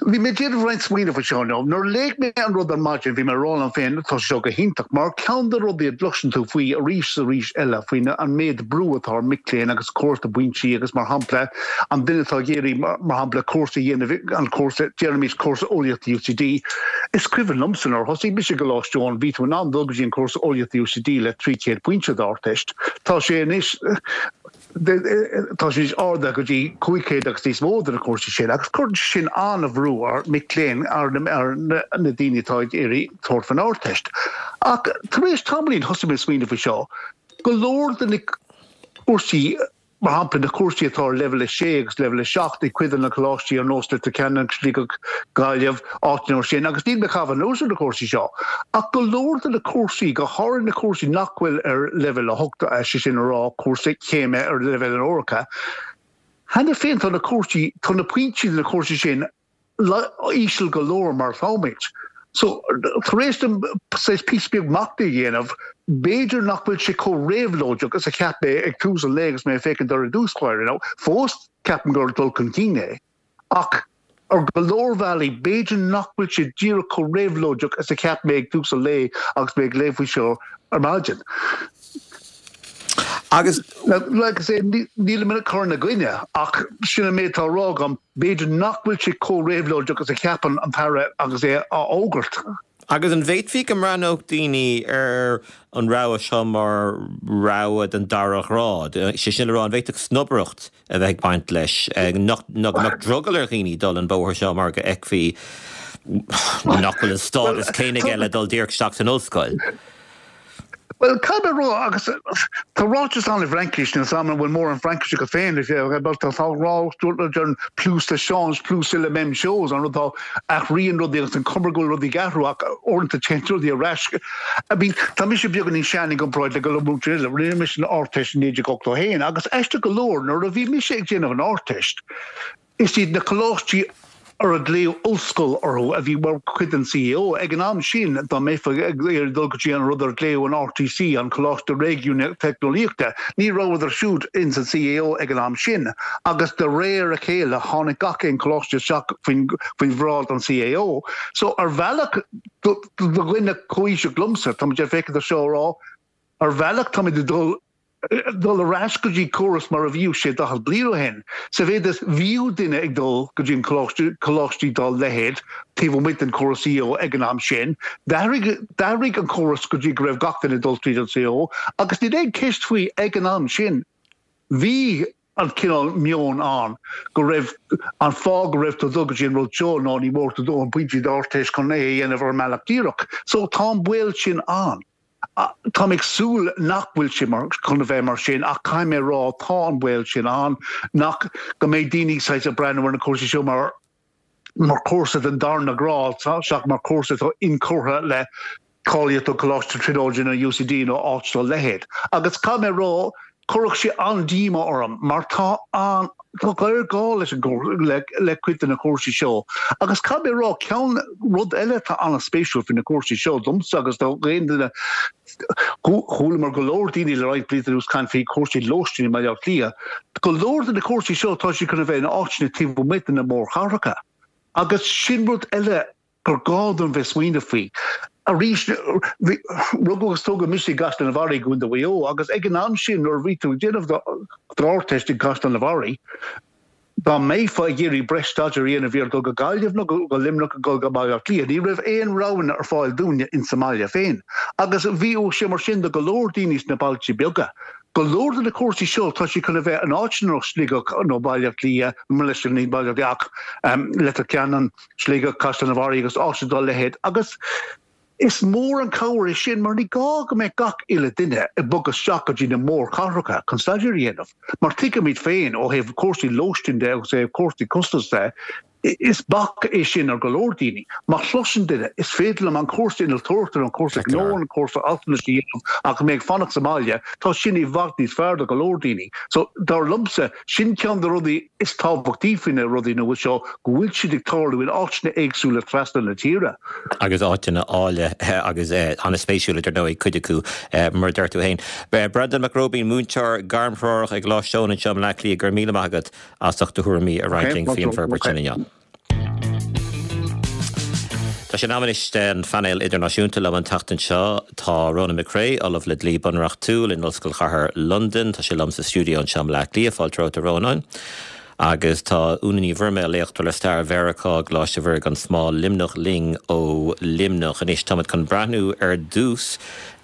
[SPEAKER 5] bhí mé ag déanamh roinnt smaoineamh faoi seo inniu. Nuair a léigh mé an rud ar maidin, bhí mé ag rá liom féin, tá sé seo go hiontach, mar ceann de na rudaí a gcloiseann tú faoi arís is arís eile, faoi an méid brú atá ar mic léinn agus córas na bpointí agus, mar shampla, an duine atá ag iarraidh, mar shampla, cúrsa a dhéanamh, an cúrsa, déarfaimis, cúrsa eolaíochta UCD. Is cuimhin liomsa nuair a thosaigh mise i gColáiste Eoin, bhí tú in ann dul go dtí an cúrsa eolaíochta UCD le 300 pointe d'Ardteist. Tá sé anois. Tá sé anois ardaithe go dtí 500 agus níos mó do na cúrsaí sin agus cuireann sé sin an-bhrú ar mhic léinn, ar na daoine atá ag iarraidh tabhairt faoin Ardteist. Ach tar éis tamaillín thosaigh mé ag smaoineamh faoi seo, go leor de na cúrsaí. Mar shampla, na cúrsaí atá ar Leibhéal 6 agus Leibhéal 7 ag cuid de na coláistí ar nós Leitir Ceanainn, Sligeach, Gaillimh, áiteanna mar sin, agus níl mé ag caitheamh anuas ar na cúrsaí seo, ach go leor de na cúrsaí, go háirithe na cúrsaí nach bhfuil ar Leibhéal 8, sé sin a rá, cúrsaí céime ar leibhéal an Eorpa, cheana féin tá na cúrsaí, tá na pointí do na cúrsaí sin íseal go leor mar atáimid. So, tar éis dom saghas píosa beag machnaimh a dhéanamh, b'fhéidir nach bhfuil sé chomh réabhlóideach is a cheap mé ag tús an lae agus mé ag féachaint air i dtús báire. Now, fós ceapaim gur dul chun cinn é, ach ar go leor bealaí b'fhéidir nach bhfuil sé díreach chomh réabhlóideach is a cheap mé ag tús an lae agus mé ag léamh faoi seo ar maidin.
[SPEAKER 1] Agus.
[SPEAKER 5] Like I say, nílim ag cur ina gcoinne, ach sin an méid atá á rá agam, b'fhéidir nach bhfuil sé chomh réabhlóideach is a cheapann an tAire agus é á fhógairt.
[SPEAKER 1] Agus an bhféadfaí go mbreathnódh daoine ar an rogha seo mar rogha den dara ghrád? Sé sin le rá, an bhféadfadh snobaireacht a bheith ag baint leis, nach mbeadh drogall ar dhaoine dul an bóthar seo mar go bhfeicfí nach bhfuil an stádas céanna aige le dul díreach isteach san ollscoil?
[SPEAKER 5] Bhuel, caithfidh mé a rá, agus tá ráiteas ann i bhFraincis, níl 's a'm an bhfuil mórán Fraincis acu féin, tá ráiteas a deireann plus ça change, plus c'est la même chose, an rud atá, athraíonn rudaí agus an cuma go bhfuil rudaí ag athrú ach uaireanta téann rudaí ar ais. I mean, tá mise beagáinín sean i gcomparáid le go leor múinteoirí eile, rinne mise an Ardteist i 1981 agus aisteach go leor nuair a bhí mise ag déanamh an Ardteist, Is iad na coláistí a raibh glaodh ollscoil orthu a bhí mar chuid den CAO. Ag an am sin, dá mbeifeá ag iarraidh dul go dtí an rud ar glaodh an RTC, an Coláiste Réigiúnach Teicneolaíochta, ní rabhadar siúd ins an CAO ag an am sin. Agus de réir a chéile, tháinig gach aon choláiste isteach faoin bhráid an CAO. So, ar bhealach, do dhuine comhaoiseach liomsa, táimid ag féachaint ar seo ag rá, ar bhealach táimid ag dul dul ar ais go dtí córas mar a bhíodh sé 40 bliain ó shin. Sa mhéid is bhíodh duine ag dul go dtí an coláiste, coláistí dá leithéid taobh amuigh den chóras CAO ag an am sin. D'athraigh, d'athraigh an córas go dtí go raibh gach duine ag dul tríd an CAO agus níl aon cheist faoi ag an am sin bhí an cineál meoin ann go raibh an fáth go raibh tú ag dul go dtí an rud seo ná ní mór do dóthain pointí d'Ardteist chun é a dhéanamh ar an mbealach díreach. So tá an baol sin ann. Táim ag súil nach bhfuil sé mar chun a bheith mar sin ach caithfidh mé a rá tá an baol sin ann nach go mbeidh daoine saghas ag breathnú ar na cúrsaí seo mar mar chúrsa den darna grád seachas mar chúrsa atá inchurtha le cáilíocht ó Choláiste Tríonóide nó UCD nó áit dá leithéid. Agus caithfidh mé a rá Chuirfeadh sé an-díomá orm mar tá an, tá géarghá leis an le le cuid de na cúrsaí seo. Agus caithfidh mé a rá, ceann, rud eile atá an-spéisiúil faoi na cúrsaí seo domsa agus do aon duine, chualamar go leor daoine le roinnt blianta anuas caint faoi chúrsaí lóistín i mBaile Átha Cliath, go leor de na cúrsaí seo tá siad chun a bheith in áiteanna taobh amuigh de na mórchathracha. Agus sin rud eile gur gá dúinn bheith smaoineamh faoi. Arís, rugadh agus tógadh mise i gCaisleán an Bharraigh i gContae Mhaigh Eo agus ag an am sin nuair a bhí tú ag déanamh d'Ardteist i gCaisleán an Bharraigh, dá mbeifeá ag iarraidh breis staidéir a dhéanamh bhí ort dul go Gaillimh nó go Luimneach nó dul go Baile Átha Cliath. Ní raibh aon roghanna ar fáil dúinne insa mbaile féin. Agus bhíodh sé mar sin do go leor daoine sna bailte beaga. Go leor de na cúrsaí seo tá siad chun a bheith in áiteanna ar nós Sligeach nó Baile Átha Cliath, mo leithscéal ní Baile Átha Cliath ach Leitir Ceanainn, Sligeach, Caisleán an Bharraigh agus áiteanna dá leithéid agus is mór an cabhair é sin mar ní gá go mbeadh gach uile duine ag bogadh isteach go dtí na mórchathracha chun staidéar a dhéanamh mar tuigimid féin ó thaobh cúrsaí lóistín de agus ó thaobh cúrsaí costais de is bac é sin ar go leor daoine. Má chloiseann duine is féidir liom an cúrsa innealtóireachta nó an cúrsa gnó nó an cúrsa altranais a dhéanamh ach mé ag fanacht sa mbaile, tá sin i bhfad níos fearr do go leor daoine. So dar liomsa, sin ceann de rudaí is tábhachtaí faoi na rudaí nua seo, go bhfuil siad ag tarlú in áiteanna éagsúla trasna na tíre.
[SPEAKER 1] Agus áiteanna áille agus an-spéisiúla, dar ndóigh, cuid acu, mar a deir tú féin. Breandán Mac Róibín, múinteoir gairmthreorach ag Coláiste Eoin anseo i mBleá Cliath, go raibh míle maith agat as ucht do thuairimí a roinnt linn faoin bhforbairt sin inniu. Tá sé in am anois don phainéal idirnáisiúnta. Liom an tseachtain seo tá Ronan McCrea, Ollamh le Dlí Bunreachtúil in Ollscoil Chathair Londain. Tá sé liom sa stiúideo anseo i mBleá Cliath. Fáilte romhat a Rónáin. Agus tá Úna Ní Mhuirméil, léachtóir le Stair Mheiriceá i gColáiste Mhuire gan Smál, Luimneach, linn ó Luimneach. Anois táimid chun breathnú ar dtús.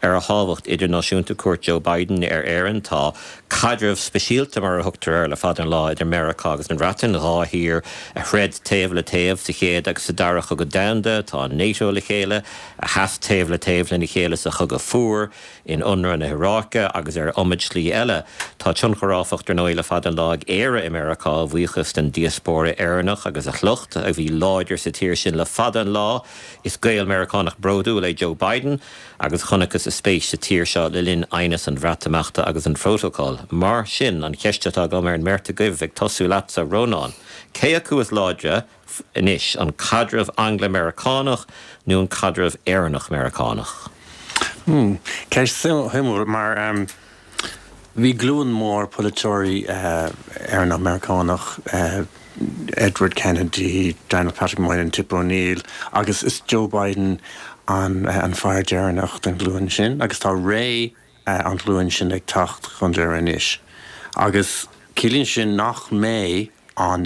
[SPEAKER 1] ar a thábhacht idirnáisiúnta cuairt Joe Biden ar Éirinn. Tá caidreamh speisialta, mar a thugtar air, le fada an lá idir Meiriceá agus an Bhreatain, 2 thír a throid taobh le taobh sa chéad agus sa dara cogadh domhanda, atá in NATO le chéile, a sheas taobh le taobh lena chéile sa chogadh fuar, in ionradh na hIaráice agus ar iomad slí eile. Tá tionchar, áfach, dar ndóigh, le fada an lá ag Éire i Meiriceá, a bhuíochas den diaspóra Éireannach agus a shliocht, a bhí láidir sa tír sin le fada an lá. Is Gael-Meiriceánach bródúil é Joe Biden agus chonacthas a spéis sa tír seo le linn aighneas an Bhreatimeachta agus an Phrótacail. Mar sin, an cheist atá agam ar an mbeirt agaibh, ag tosú leatsa, Rónán, cé acu is láidre anois, an caidreamh Angla-Meiriceánach nó an caidreamh Éireannach-Meiriceánach?
[SPEAKER 6] Ceist shuimiúil, mar bhí glúin mór polaiteoirí Éireannach-Meiriceánach, Edward Kennedy, Daniel Patrick Moynihan, Tip O'Neill, agus is Joe Biden an fear deireanach den ghlúin sin agus tá ré an ghlúin sin ag teacht chun deireadh anois. Agus ciallaíonn sin nach mbeidh an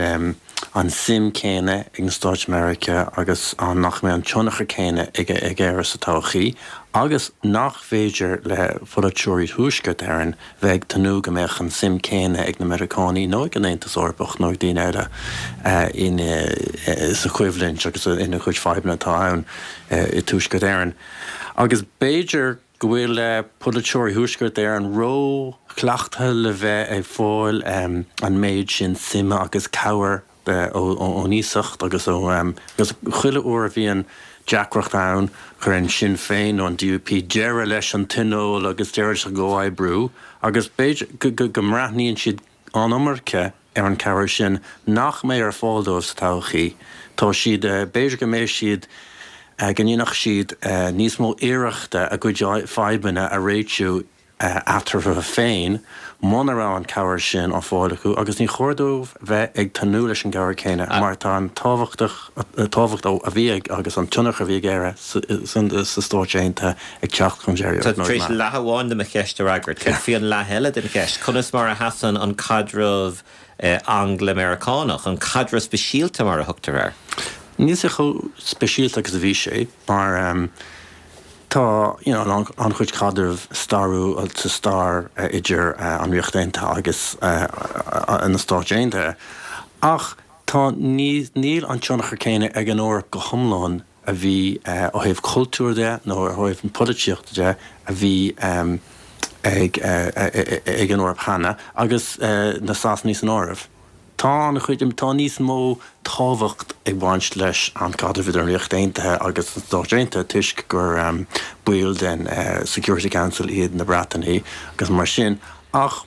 [SPEAKER 6] an suim céanna ag na Stáit Meiriceá agus an nach mbeidh an tionchar céanna ag Éire sa todhchaí agus nach féidir le polaiteoirí Thuaisceart Éireann bheith ag tnúth go mbeadh an suim céanna ag na Meiriceánaigh nó ag an Aontas Eorpach nó ag daoine eile in sa choimhlint agus ina chuid fadhbanna atá ann i Tuaisceart Éireann. Agus b'fhéidir go bhfuil polaiteoirí Thuaisceart Éireann ró-chleachtaithe le bheith ag fáil an méid sin suime agus cabhair ón iasacht agus ó agus chuile uair a bhíonn deacracht ann cuireann Sinn Féin nó an DUP deireadh leis an tionól agus deireadh leis an gcomhoibriú agus b'fhéidir go mbreathnaíonn siad an iomarca ar an chabhair sin nach mbeidh ar fáil dóibh sa todhchaí. Tá siad, b'fhéidir go mbeidh siad, go ndéanfadh siad níos mó iarrachta a gcuid fadhbanna a réitiú eatarthu féin muna raibh an chabhair sin á fáil acu agus ní chóir dóibh bheith ag tnúth leis an gcabhair céanna mar tá an tábhachtach, tábhacht a bhí ag agus an tionchar a bhí ag Éire sa Stáit Aontaithe ag teacht chun deiridh.
[SPEAKER 1] Tá tú tar éis leath amháin de mo cheist a fhreagairt. Céard faoi an leath eile den cheist? Conas mar a sheasann an caidreamh Angla-Meiriceánach, an caidreamh speisialta mar a thugtar air?
[SPEAKER 6] Níl sé chomh speisialta agus a bhí sé mar tá you know an-chuid caidreamh stairiúil sa stair idir an Ríocht Aontaithe agus na Stáit Aontaithe ach tá níl an tionchar céanna ag an Eoraip go hiomlán a bhí ó thaobh cultúir de nó ó thaobh na polaitíochta de a bhí ag ag an Eoraip cheana agus na Sasanaigh san áireamh. Tá an-chuid, tá níos mó tábhacht ag baint leis an caidreamh idir an Ríocht Aontaithe agus na Stáit Aontaithe toisc gur baill den Security Council iad na Breatanaigh agus mar sin ach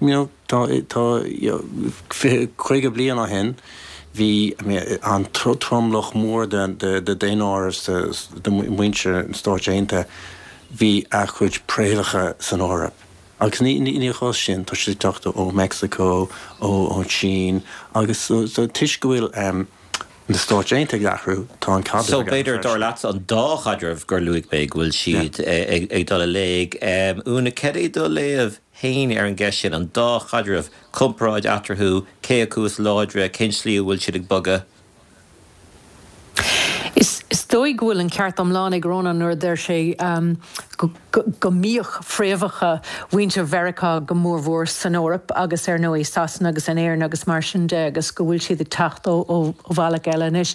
[SPEAKER 6] you know tá tá you know 50 bliain ó shin bhí an tromlach mór de de daonáireamh de mhuintir na Stáit Aontaithe bhí a chuid préamhacha san Eoraip. Agus ní ní chás sin, tá siad ag teacht ó Meicsiceo, ón tSín agus so toisc go bhfuil na Stáit Aontaithe ag athrú, tá an caidreamh
[SPEAKER 1] So ag athrú b'fhéidir, dar freisin. leatsa, an dá chaidreamh gur luaigh mé go bhfuil siad ag dul i léig. Úna, cad é do léamh féin ar an gceist sin, an dá chaidreamh, comparáid eatarthu, cé acu is láidre, cén tslí a bhfuil siad ag bogadh?
[SPEAKER 7] Is dóigh go bhfuil an ceart iomlán ag Rónán nuair a deir sé go mbíodh fréamhacha mhuintir Mheiriceá go mórmhór san Eoraip agus ar ndóigh i Sasana agus in Éirinn agus mar sin de agus go bhfuil siad ag teacht ó bhealach eile anois.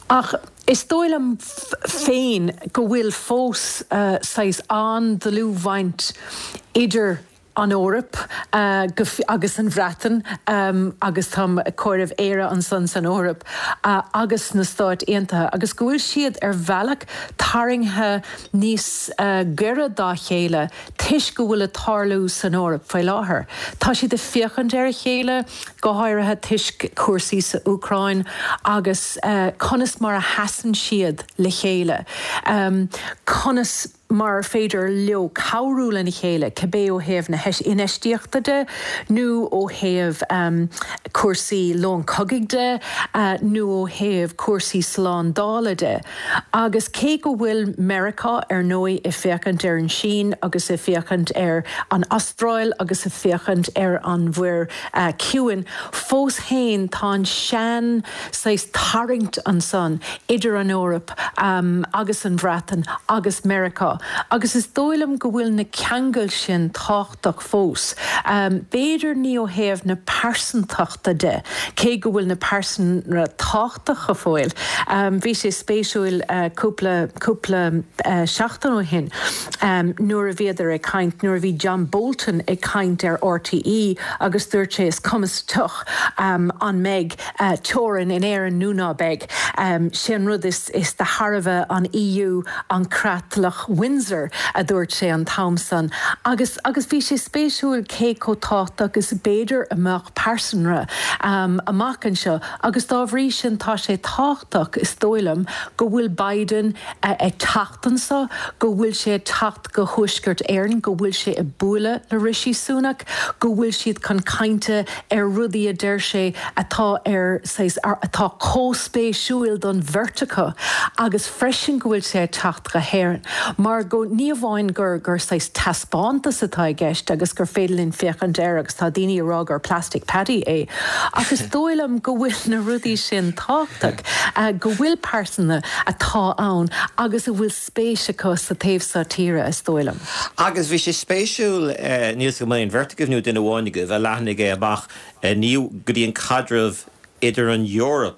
[SPEAKER 7] Ach is dóigh liom féin go bhfuil fós saghas an-dlúthbhaint idir an Eoraip agus an Bhreatain, agus táim ag comhaireamh Éire ansan san Eoraip, agus na Stáit Aontaithe, agus go bhfuil siad ar bhealach tarraingthe níos gaire dá chéile toisc go bhfuil ag tarlú san Eoraip faoi láthair. Tá siad ag féachaint ar a chéile, go háirithe toisc cúrsaí sa Úcráin agus conas mar a sheasann siad le chéile, conas. mar ar féidir leo cabhrú lena chéile, cibé ó thaobh na hinfheistíochta de nó ó thaobh cúrsaí lón cogaidh de nó ó thaobh cúrsaí slándála de. Agus cé go bhfuil Meiriceá, ar ndóigh, ag féachaint ar an Sín agus ag féachaint ar an Astráil agus ag féachaint ar an Mhuir Chiúin, fós féin tá an sean saghas tarraingt ansan idir an Eoraip agus an Bhreatain agus Meiriceá. Agus is dóigh liom go bhfuil na ceangail sin tábhachtach fós. B'fhéidir ní ó thaobh na pearsantachta de, cé go bhfuil na pearsanra tábhachtach go fóill. Bhí sé spéisiúil cúpla, cúpla seachtain ó shin nuair a bhíodar ag caint, nuair a bhí John Bolton ag caint ar RTÉ agus dúirt sé is cuma sa tsioc an mbeidh teorainn in Éirinn nó ná beidh. Sé an rud is de thairbhe an EU an creatlach Windsor, a dúirt sé an t-am san. Agus agus bhí sé spéisiúil cé chomh tábhachtach is b'fhéidir a mbeadh pearsanra amach anseo agus dá bhrí sin tá sé tábhachtach, is dóigh liom, go bhfuil Biden ag teacht anseo, go bhfuil sé ag teacht go Thuaisceart Éireann, go bhfuil sé ag bualadh le Rishi Sunak, go bhfuil siad chun cainte ar rudaí a deir sé atá ar saghas, atá chomh spéisiúil don bheirt acu agus freisin go bhfuil sé ag teacht go hÉirinn mar go, ní amháin gur, gur saghas taispeántas atá i gceist agus gur féidir linn féachaint air agus tá daoine ag rá gur Plastic Paddy é ach is dóigh liom go bhfuil na rudaí sin tábhachtach, go bhfuil pearsana atá ann agus a bhfuil spéis acu sa taobh seo tíre, is dóigh liom.
[SPEAKER 1] Agus bhí sé spéisiúil, níl 's agam an é an bheirt agaibh nó duine amháin agaibh a leathnaigh é amach ní go dtí an caidreamh idir an Eoraip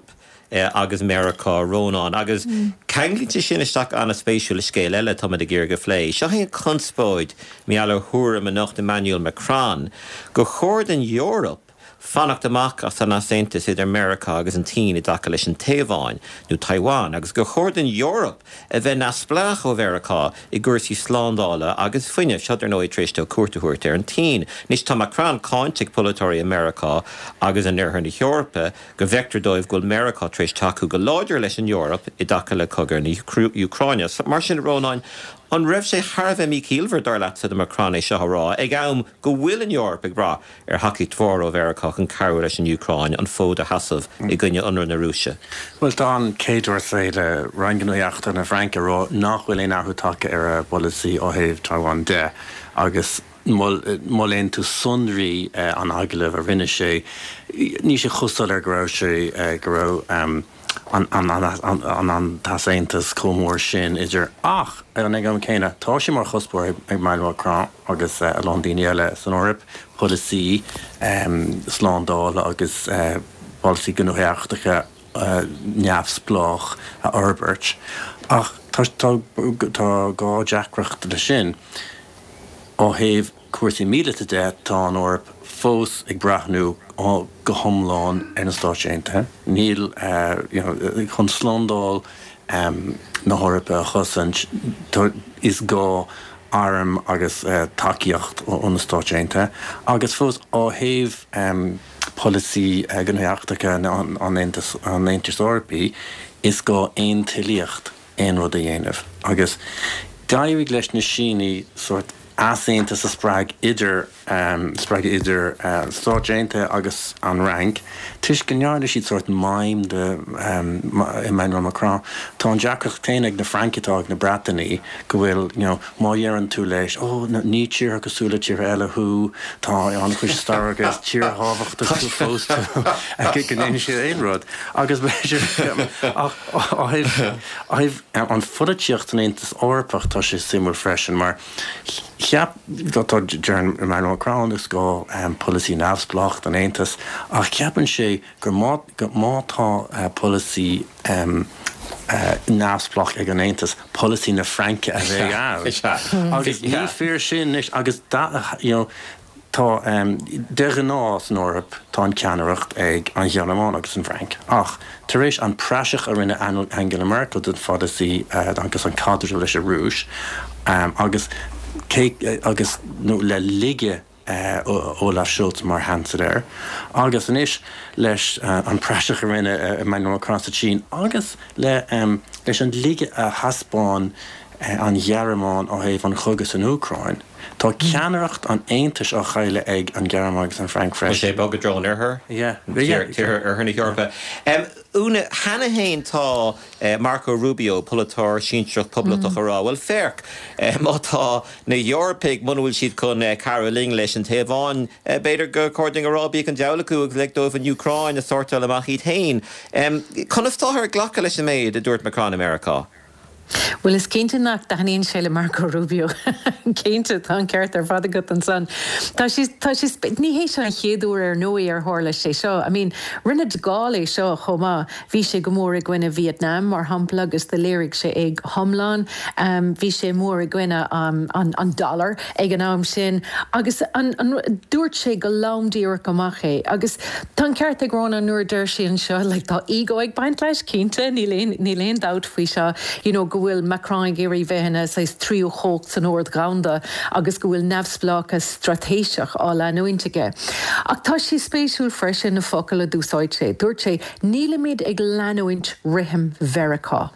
[SPEAKER 1] agus Meiriceá, Rónán, agus ceanglaíonn sé sin isteach an-spéisiúil le scéal eile atáimid ag iarraidh a phlé. Seo é an chonspóid mar gheall ar thuairim a nocht Emmanuel Macron gur chóir don Eoraip fanacht amach as an easaontas idir Meiriceá agus an tSín i dtaca leis an Téaváin, nó Taiwan, agus gur chóir don Eoraip a bheith neamhspleách ó Mheiriceá i gcúrsaí slándála agus fuinnimh. Seo, dar ndóigh, tar éis dó cuairt a thabhairt ar an tSín. Anois, tá Macron cáinte ag polaiteoirí i Meiriceá agus in oirthear na hEorpa go bhfeictear dóibh go bhfuil Meiriceá tar éis tacú go láidir leis an Eoraip i dtaca le cogadh na hÚcráine. Mar sin, a Rónáin, an raibh sé thar a bheith míchiallmhar, dar leatsa, do Macron é seo a rá ag am go bhfuil an Eoraip ag brath ar thacaíocht mhór ó Mheiriceá chun cabhrú leis an Úcráin an fód a sheasamh i gcoinne ionradh na Rúise.
[SPEAKER 6] Bhuel, tá an Quai d'Orsay le Roinn Gnóthaí Eachtracha na Fraince ag rá nach bhfuil aon athrú tagtha ar a bpolasaí ó thaobh Taiwan de agus má léann tú sonraí an agallaimh a rinne sé, níl sé chomh soiléir go raibh sé, go raibh. an t-easaontas chomh mór sin idir ach ag an am céanna tá sé mar chuspóir ag Emmanuel Macron agus a lán daoine eile san Eoraip polasaí slándála agus polasaí gnóthaí eachtracha neamhspleách a fhorbairt ach tá dhá deacracht leis sin ó thaobh cúrsaí míleata de, tá an Eoraip fós ag breathnú go hiomlán ar na Stáit Aontaithe. Níl, you know, chun slándáil na hEorpa a chosaint, is gá airm agus tacaíocht ó na Stáit Aontaithe. Agus fós, ó thaobh polasaí gnóthaí eachtracha an Aontais Eorpaigh, is gá aontoilíocht aon rud a dhéanamh. Agus d'éirigh leis na Sínigh sórt easaontas a spreag idir spreagadh idir Stáit Aontaithe agus an Fhrainc toisc go ndearna siad sórt mime de Emmanuel Macron. Tá an deacracht céanna ag na Francaigh atá ag na Breatanaigh go bhfuil you know má dheireann tú leis oh ní tíortha cosúil le tíortha eile thú, tá an-chuid stair agus tír thábhachtach tú fós tú go ndéanfaidh siad aon rud agus b'fhéidir ach Ó thaobh an pholaitíocht san Aontas Eorpach, tá sé suimiúil freisin mar cheap, tá, deireann Emmanuel Macron is gá polasaí neamhspleách don Aontas ach ceapann sé gur má, má tá polasaí neamhspleách ag an Aontas, polasaí na Fraince a bheidh ann. Agus ní fíor sin anois agus you know, Tá, de ghnáth san Eoraip, tá an ceannaireacht ag an Ghearmáin agus an Fhrainc. Ach tar éis an praiseach a rinne Angela Merkel den pholasaí agus an caidreamh leis an Rúis agus cé agus nó le laige Olaf Scholz mar Sheansailéir agus anois leis an praiseach a rinne Emmanuel Macron sa tSín agus le leis an laige a thaispeáin an Ghearmáin ó thaobh an chogaidh san Úcráin. Tá ceannaireacht an Aontais á chailleadh ag an Ghearmáin agus an Fhrainc
[SPEAKER 1] freisin. Tá sé ag bogadh i dtreo an oirthir, tíortha oirthear na hEorpa. Úna, cheana féin tá Marco Rubio, polaiteoir sinsearach poblachtach ag rá, bhuel féach, má tá na hEorpaigh, muna bhfuil siad chun cabhrú linn leis an Téaváin, b'fhéidir gur chóir dúinn a rá bíodh an diabhal acu agus lig dóibh an Úcráin a shórtáil amach iad féin. Conas táthar ag glacadh leis an méid a dúirt Macron i Meiriceá?
[SPEAKER 7] Bhuel, is cinnte nach dtaitníonn sé le Marco Rubio. Cinnte, tá an ceart ar fad agat ansan. Tá sé, tá sé, ní hé seo an chéad uair ar ndóigh ar tharla sé seo. I mean, rinne de Gaulle é seo chomh maith. Bhí sé go mór i gcoinne Vietnam, mar shampla, agus do léirigh sé é go hiomlán. Bhí sé mór i gcoinne an, an dollar ag an am sin agus an, an, dúirt sé go lom díreach amach é. Agus tá an ceart ag Rónán nuair a deir sé anseo, like, tá ego ag baint leis, cinnte, níl aon, níl aon dabht faoi seo, you know, go bhfuil Macron ag iarraidh bheith ina saghas tríú chumhacht san ord dhomhanda agus go bhfuil neamhspleáchas straitéiseach á leanúint aige. Ach tá sé spéisiúil freisin na focail a d'úsáid sé. Dúirt sé, Nílimid ag leanúint rithim Mheiriceá.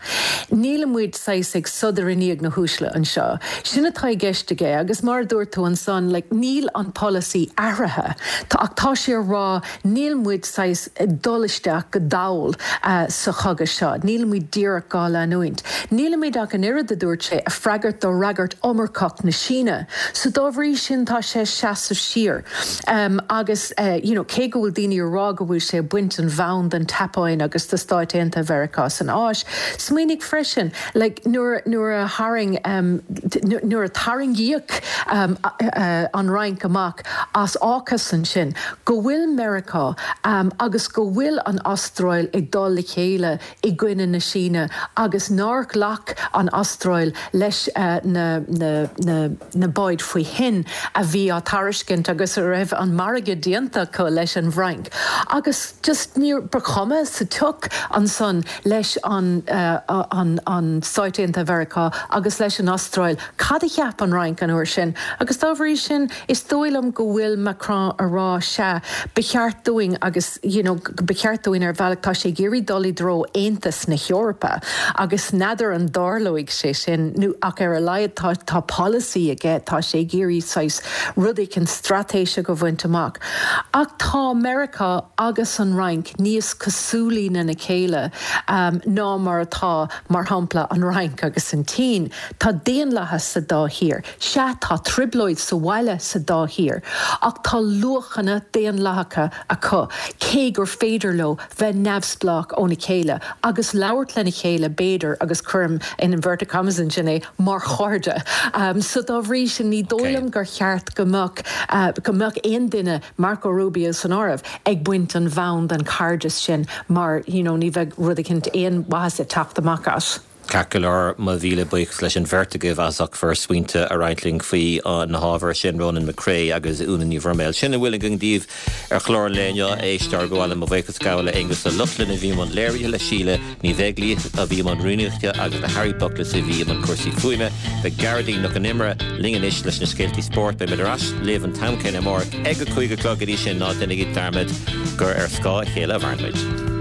[SPEAKER 7] Nílimid saghas ag sodar i ndiaidh na huaisle anseo. Sin atá i gceist aige agus mar a dúirt tú ansan, like, níl an polasaí athraithe. Tá, ach tá sé a rá níl muid saghas ag dul isteach go dall sa chogadh seo. Nílimid díreach dhá leanúint. Nílimid ach an oiread, a dúirt sé, ag freagairt do fhreagairt iomarcach na Síne. So dá bhrí sin tá sé ag seasamh siar. Agus you know cé go bhfuil daoine ag rá go bhfuil sé ag baint an bhonn den tSeapáin agus de Stáit Aontaithe Mheiriceá san Áis, smaoinigh freisin like nuair nuair a tharraing nuair a tarraingíodh an Fhrainc amach as AUKUS ansin, go bhfuil Meiriceá agus go bhfuil an Astráil ag dul le chéile i gcoinne na Síne agus nár ghlac an Astráil leis na na báid faoi thoinn a bhí á tairiscint agus a raibh an margadh déanta acu leis an bhFrainc agus just níor ba chuma sa tsioc ansan leis an an Stáit Aontaithe Mheiriceá agus leis an Astráil cad a cheap an Fhrainc an uair sin agus dá bhrí sin is dóigh liom go bhfuil Macron a rá sea ba cheart dúinn agus you know ba cheart dúinn ar bhealach tá sé ag iarraidh dul i dtreo Aontas na hEorpa agus n'fheadar an dtarlóidh sé sin nó ach ar a laghad tá tá polasaí aige tá sé ag iarraidh saghas rud éicint straitéiseach a bhaint amach. Ach tá Meiriceá agus an Fhrainc níos cosúlaí lena chéile ná mar atá mar shampla an Fhrainc agus an tSín. Tá daonlathas sa dá thír. Sea, tá trioblóid sa bhaile sa dá thír, ach tá luachanna daonlathacha acu, cé gur féidir leo bheith neamhspleách óna chéile agus labhairt lena chéile, b'fhéidir, agus cuirim in inverted commas ansin é, mar chairde. So dá bhrí sin, ní dóigh liom gur cheart go mbeadh, go mbeadh aon duine, Marco Rubio san áireamh, ag baint an bhonn den chairdeas sin mar, you know, ní bheadh rud eicínt, aon mhaitheas ag teacht amach as.
[SPEAKER 1] Ceart go leor, mo mhíle buíochas leis an bheirt agaibh as ucht bhur smaointe a roinnt linn faoi na hábhair sin, Rónán Mac Craith agus Úna Ní Bhroiméil. Sin a bhfuil againn daoibh ar chlár an lae inniu, a éisteoirí. Ba mhaith liom mo bhuíochas a ghabháil le Aonghus Ó Lochlainn a bhí i mbun léirithe, le Síle Ní Bheaglaoich a bhí i mbun rúnaíochta agus le Harry Buckless a bhí i mbun cúrsaí fuaime. Beidh Gearóidín Nic Con Iomaire linn anois leis na scéaltaí spóirt. Beidh muid ar ais libh an t-am céanna amárach ag a 5 a chlog. Go dtí sin, ná déanaigí dearmad gur ar scáth a chéile a mhaireann muid.